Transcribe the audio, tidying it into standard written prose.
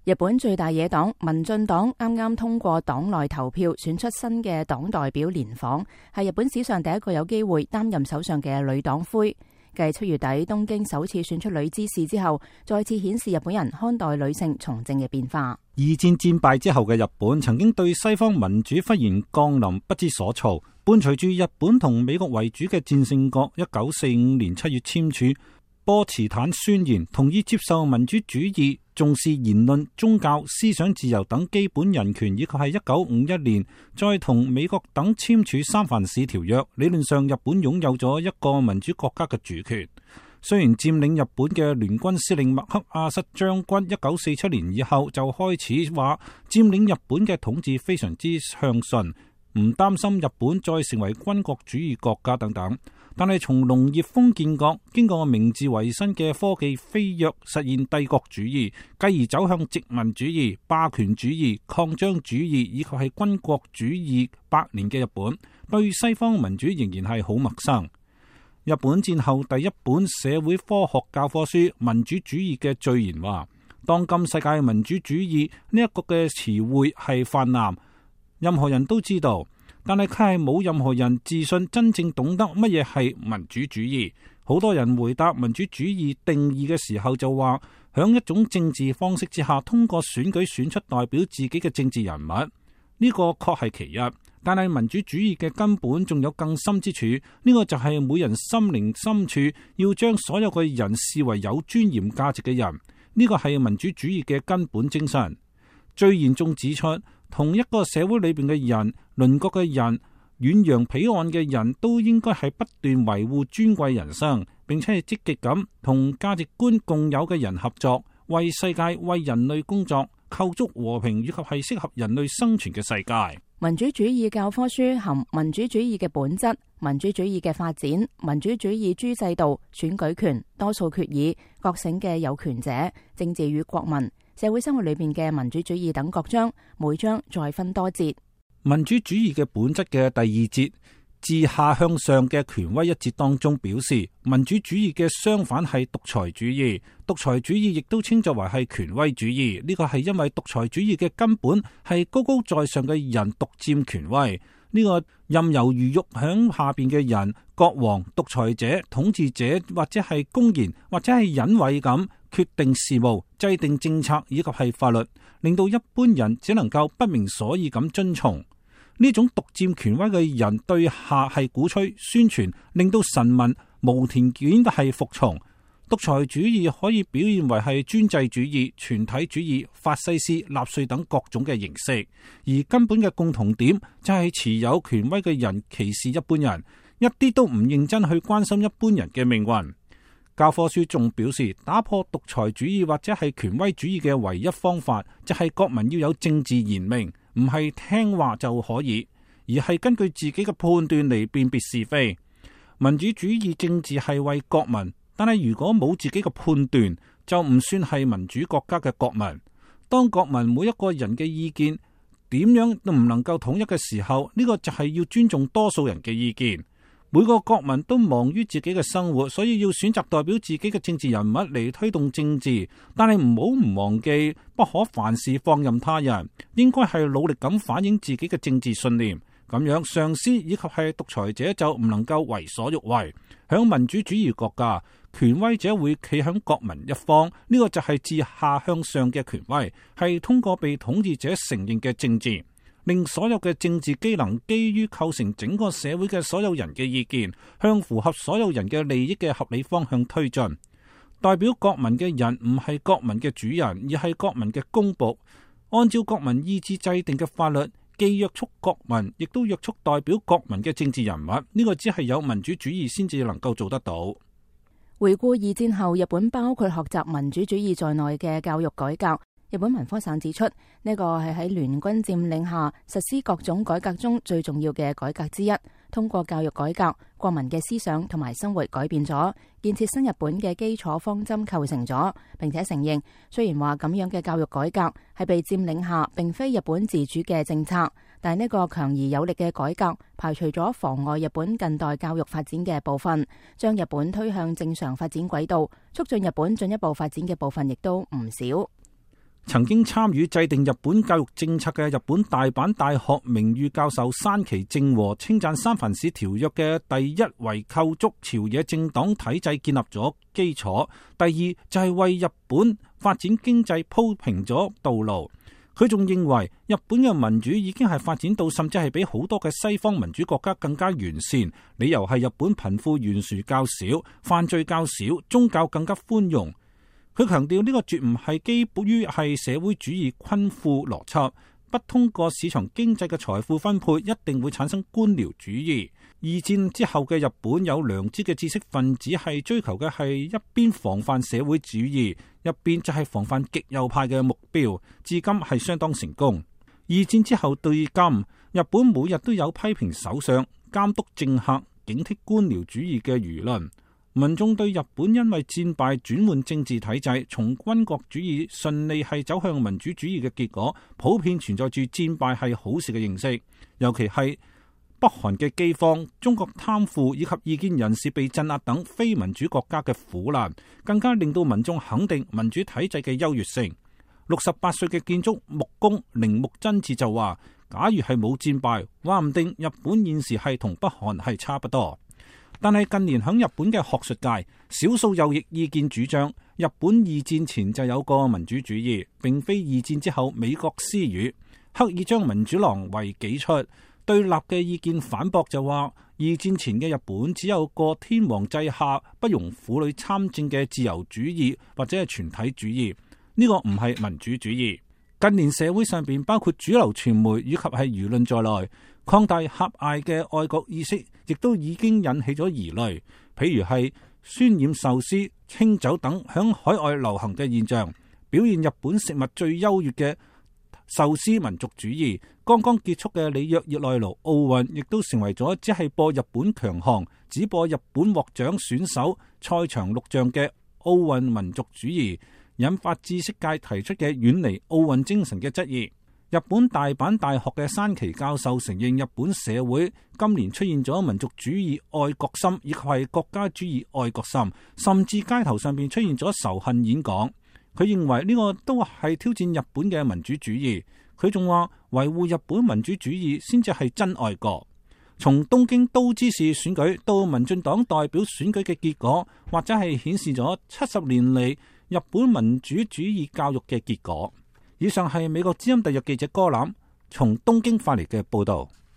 日本最大野黨民進黨啱啱通過黨內投票選出新嘅黨代表連訪，係日本史上第一個有機會擔任首相嘅女黨魁。繼7月底東京首次選出女知事之後，再次顯示日本人看待女性從政嘅變化。二戰戰敗之後嘅日本曾經對西方民主忽然降臨不知所措，伴隨住日本同美國為主嘅戰勝國1945年7月簽署波茨坦宣言，同意接受民主主義，重視言論、宗教、思想自由等基本人權，以及係1951年再同美國等簽署三藩市條約。理論上，日本擁有咗一個民主國家嘅主權。雖然佔領日本嘅聯軍司令麥克阿瑟將軍1947年以後就開始話佔領日本嘅統治非常之暢順，唔擔心日本再成為軍國主義國家等等。但係從農業封建國經過明治維新嘅科技飛躍，實現帝國主義，繼而走向殖民主義、霸權主義、擴張主義以及係軍國主義百年嘅日本，對西方民主仍然係好陌生。日本戰後第一本社會科學教科書《民主主義》嘅序言話，當今世界民主主義呢一個嘅詞彙係泛濫，任何人都知道。但係佢係冇任何人自信真正懂得乜嘢係民主主義。好多人回答民主主義定義嘅時候就話，響一種政治方式之下，通過選舉選出代表自己嘅政治人物。呢個確係其一，但係民主主義嘅根本仲有更深之處。呢個就係每人心靈深處要將所有嘅人視為有尊嚴價值嘅人。呢個係民主主義嘅根本精神。最嚴重指出，同一個社會裏邊嘅人、鄰國嘅人、遠洋彼岸嘅人都應該係不斷維護尊貴人生，並且係積極咁同價值觀共有嘅人合作，為世界、為人類工作，構築和平以及係適合人類生存嘅世界。民主主義教科書含民主主義嘅本質、民主主義嘅發展、民主主義諸制度、選舉權、多數決議、覺醒嘅有權者、政治與國民、社會生活裏邊嘅民主主義等各章，每章再分多節。民主主義嘅本質嘅第二節，自下向上嘅權威一節當中表示，民主主義嘅相反係獨裁主義。獨裁主義亦都稱作為係權威主義。呢個係因為獨裁主義嘅根本係高高在上嘅人獨佔權威。呢個任由魚肉響下邊嘅人，國王、獨裁者、統治者，或者係公然或者係隱晦咁決定事務、制定政策以及係法律，令到一般人只能夠不明所以咁遵從。呢種獨佔權威嘅人對下係鼓吹、宣傳，令到臣民無條件係服從。獨裁主義可以表現為係專制主義、全體主義、法西斯、納粹等各種嘅形式，而根本嘅共同點就係持有權威嘅人歧視一般人，一啲都唔認真去關心一般人嘅命運。教科書仲表示，打破獨裁主義或者係權威主義嘅唯一方法，就係國民要有政治賢明，唔係聽話就可以，而係根據自己嘅判斷嚟辨別是非。民主主義政治係為國民，但係如果冇自己嘅判斷，就唔算係民主國家嘅國民。當國民每一個人嘅意見點樣都唔能夠統一嘅時候，呢個就係要尊重多數人嘅意見。每個國民都忙於自己嘅生活，所以要選擇代表自己嘅政治人物嚟推動政治。但係唔忘記，不可凡事放任他人，應該係努力咁反映自己嘅政治信念。咁樣上司以及係獨裁者就唔能夠為所欲為。響民主主義國家，權威者會企響國民一方，呢個就係自下向上嘅權威，係通過被統治者承認嘅政治，令所有嘅政治機能基於構成整個社會嘅所有人嘅意見，向符合所有人嘅利益嘅合理方向推進。代表國民嘅人唔係國民嘅主人，而係國民嘅公僕，按照國民意志制定嘅法律，既約束國民，亦都約束代表國民嘅政治人物。呢個只係有民主主義先至能夠做得到。回顧二戰後日本包括學習民主主義在內嘅教育改革，日本文科省指出，呢個係喺聯軍佔領下實施各種改革中最重要嘅改革之一。通過教育改革，國民嘅思想同埋生活改變咗，建設新日本嘅基礎方針構成咗，並且承認，雖然話咁樣嘅教育改革係被佔領下並非日本自主嘅政策，但係呢個強而有力嘅改革排除咗妨礙日本近代教育發展嘅部分，將日本推向正常發展軌道，促進日本進一步發展嘅部分亦都唔少。曾經參與制定日本教育政策嘅日本大阪大學名譽教授山崎正和稱讚三藩市條約嘅第一為構築朝野政黨體制建立咗基礎，第二就係為日本發展經濟鋪平咗道路。佢仲認為日本嘅民主已經係發展到甚至係比好多嘅西方民主國家更加完善，理由係日本貧富懸殊較少，犯罪較少，宗教更加寬容。佢強調呢個絕唔係基於係社會主義均富邏輯，不通過市場經濟嘅財富分配一定會產生官僚主義。二戰之後嘅日本有良知嘅知識分子係追求嘅係一邊防範社會主義，一邊就係防範極右派嘅目標，至今係相當成功。二戰之後對今，日本每日都有批評首相、監督政客、警惕官僚主義嘅輿論。民眾對日本因為戰敗轉換政治體制，從軍國主義順利係走向民主主義嘅結果，普遍存在住戰敗係好事嘅認識。尤其係北韓嘅饑荒、中國貪腐以及異見人士被鎮壓等非民主國家嘅苦難，更加令到民眾肯定民主體制嘅優越性。68歲嘅建築木工鈴木真治就話：假如係冇戰敗，話唔定日本現時係同北韓係差不多。但係近年響日本嘅學術界，少數右翼意見主張日本二戰前就有個民主主義，並非二戰之後美國私語，刻意將民主郎為己出。對立嘅意見反駁就話，二戰前嘅日本只有個天皇制下不容婦女參政嘅自由主義或者係全體主義，呢個唔係民主主義。近年社會上邊包括主流傳媒以及係輿論在內，擴大狹隘嘅愛國意識，亦都已經引起咗疑慮。譬如係渲染壽司、清酒等響海外流行嘅現象，表現日本食物最優越嘅壽司民族主義。剛剛結束嘅里約熱內盧奧運，亦都成為咗只係播日本強項，只播日本獲獎選手賽場錄像嘅奧運民族主義，引發知識界提出嘅遠離奧運精神嘅質疑。日本大阪大學嘅山崎教授承認，日本社會今年出現咗民族主義愛國心，以及係國家主義愛國心，甚至街頭上邊出現咗仇恨演講。佢認為呢個都係挑戰日本嘅民主主義。佢仲話維護日本民主主義先至係真愛國。從東京都知事選舉到民進黨代表選舉嘅結果，或者係顯示咗70年嚟日本民主主義教育嘅結果。以上係美國之音特約記者柯欖從東京發嚟嘅報道。